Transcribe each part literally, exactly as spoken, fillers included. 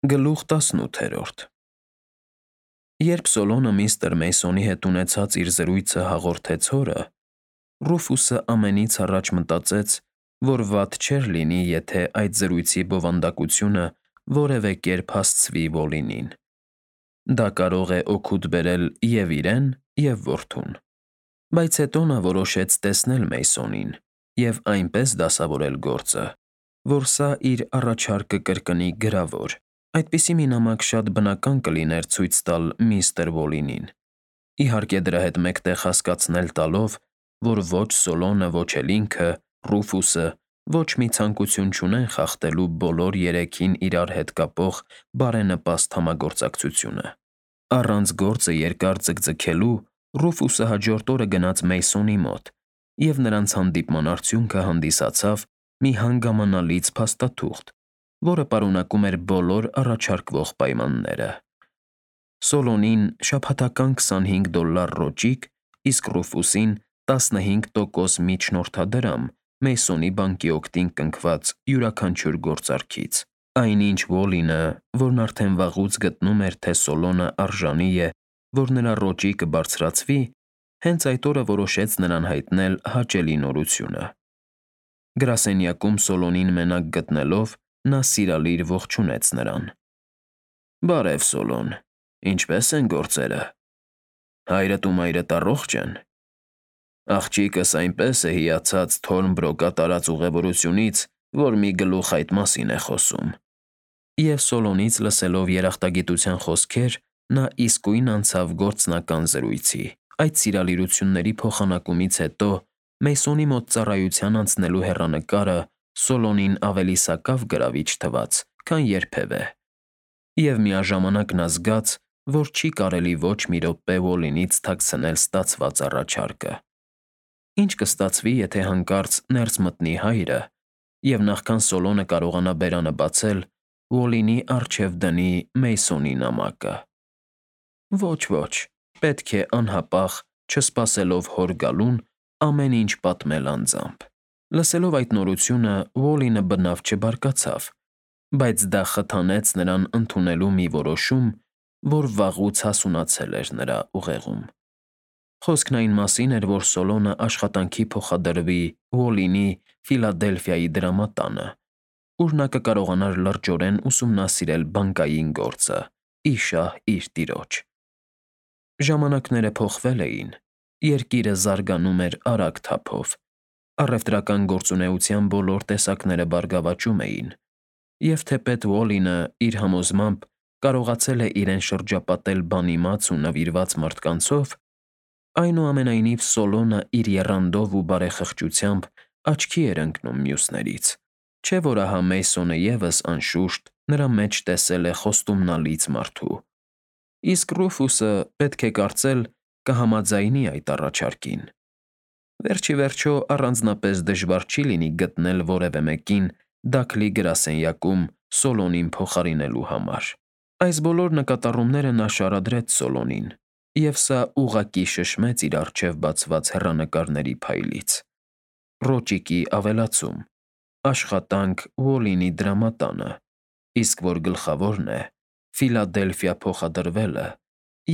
Գլուխ տասնութերորդ Երբ Սոլոնը միստր Մեյսոնի հետ ունեցած իր զրույցը հաղորդեց հորը, Ռուֆուսը ամենից առաջ մտածեց, որ վատ չէր լինի, եթե այդ զրույցի բովանդակությունը որևէ կերպ հասցվի Ոլինին. դա կարող է օգուտ բերել և՛ իրեն, և՛ որդուն, բայց հետո նա որոշեց տեսնել Մեյսոնին և այնպես դասավորել գործը, որ սա իր առաջարկը կրկնի գրավոր. այդպիսի մի նամակ շատ բնական կլիներ ցույց տալ միստր Ոլինին, իհարկե դրա հետ մեկտեղ հասկացնել տալով, որ ոչ Սոլոնը, ոչ էլ ինքը՝ Ռուֆուսը, ոչ մի ցանկություն չունեն խախտելու բոլոր երեքին իրար հետ կապող բարենպաստ համագործակցությունը։ Առանց գործը երկար ձգձգելու Ռուֆուսը հաջորդ օրը գնաց Մեյսոնի մոտ և նրանց հանդիպման արդյունքը հանդիսացավ մի հանգամանալից փաստաթուղթ, որը պարունակում էր բոլոր առաջարկվող պայմանները. Սոլոնին շաբաթական քսանհինգ դոլլար ռոճիկ, իսկ Ռուֆուսին տասնհինգ տոկոս միջնորդադրամ Մեյսոնի բանկի օգտին կնքված յուրաքանչյուր գործարքից։ Այնինչ Ոլինը, որն արդեն վաղուց գտնում էր, թե Սոլոնը արժանի է, որ նրա ռոճիկը բարձրացվի, հենց այդ օրը որոշեց նրան հայտնել հաճելի նորությունը։ Գրասենյակում Սոլոնին մենակ գտնելով՝ նա սիրալիր ողջունեց նրան. «Բարև, Սոլոն, ինչպե՞ս են գործերը։ Հայրդ ու մայրդ առողջ ե՞ն։ Աղջիկս այնպես է հիացած Թորնբրոկա տարած ուղևորությունից, որ մի գլուխ այդ մասին է խոսում»։ Եվ Սոլոնից լսելով երախտագիտության խոսքեր, նա իսկույն անցավ գործնական զրույցի։ Այդ սիրալիրությունների փոխանակումից հետո Մեյսոնի մոտ ծառայության անցնելու հեռանկարը Սոլոնին ավելի սակավ գրավիչ թվաց, քան երբևէ, և միաժամանակ նա զգաց, որ չի կարելի ոչ մի րոպե Ոլինից թաքցնել ստացված առաջարկը։ Ի՞նչ կստացվի, եթե հանկարծ ներս մտնի հայրը և նախքան Սոլոնը կարողանա բերանը բացել, Ոլինի առջև դնի Մեյսոնի նամակը։ Ոչ, ոչ, պետք է անհապաղ, չսպասելով հոր գալուն, ամեն ինչ պատմել անձամբ։ Լսելով այդ նորությունը Ոլինը բնավ չբարկացավ, բայց դա խթանեց նրան ընդունելու մի որոշում, որ վաղուց հասունացել էր նրա ուղեղում։ Խոսքն այն մասին էր, որ Սոլոնը աշխատանքի փոխադրվի Ոլինի Ֆիլադելֆիայի դրամատանը, ուր նա կկարողանար լրջորեն ուսումնասիրել բանկային գործը՝ ի շահ իր տիրոջ։ Ժամանակները փոխվել էին, երկիրը զարգանում էր արագ թափով, առևտրական գործունեության բոլոր տեսակները բարգավաճում էին, և թեպետ Ոլինը, իր համոզմամբ, կարողացել է իրեն շրջապատել բանիմաց ու նվիրված մարդկանցով, այնուամենայնիվ Սոլոնը իր եռանդով ու բարեխղճությամբ աչքի էր ընկնում մյուսներից, չէ՞ որ ահա Մեյսոնը ևս, անշուշտ, նրա մեջ տեսել է խոստումնալից մարդու։ Իսկ Ռուֆուսը, պետք է կարծել, կհամաձայնի այդ առաջարկին։ Վերջ ի վերջո առանձնապես դժվար չի լինի գտնել որևէ մեկին Դաքլի գրասենյակում Սոլոնին փոխարինելու համար։ Այս բոլոր նկատառումները նա շարադրեց Սոլոնին, և սա ուղղակի շշմեց իր առջև բացված հեռանկարների փայլից. ռոճիկի ավելացում, աշխատանք Ոլինի դրամատանը, իսկ որ գլխավորն է, Ֆիլադելֆիա փոխադրվելը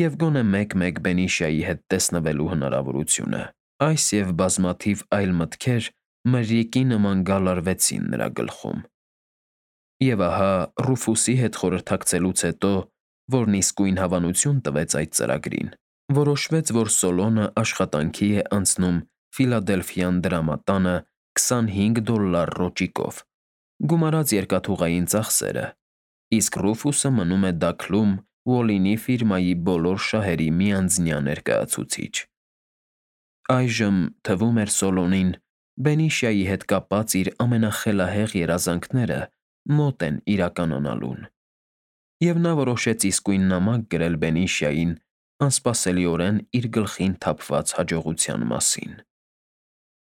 և գոնե մեկ֊մեկ Բենիշիայի հետ տեսնվելու հնարավորությունը։ Այս և բազմաթիվ այլ մտքեր մրրիկի նման գալարվեցին նրա գլխում։ Եվ ահա, Ռուֆուսի հետ խորհրդակցելուց հետո, որն իսկույն հավանություն տվեց այդ ծրագրին, որոշվեց, որ Սոլոնը աշխատանքի է անցնում Ֆիլադելֆյան դրամատանը քսանհինգ դոլլար ռոճիկով, գումարած երկաթուղային ծախսերը, իսկ Ռուֆուսը մնում է Դաքլում Ոլինի ֆիրմայի բոլոր շահերի միանձնյա ներկայացուցիչ։ Այժմ, թվում էր Սոլոնին, Բենիշիայի հետ կապած իր ամենախելահեղ երազանքները մոտ են իրականանալուն, և նա որոշեց իսկույն նամակ գրել Բենիշիային անսպասելիորեն իր գլխին թափված հաջողության մասին։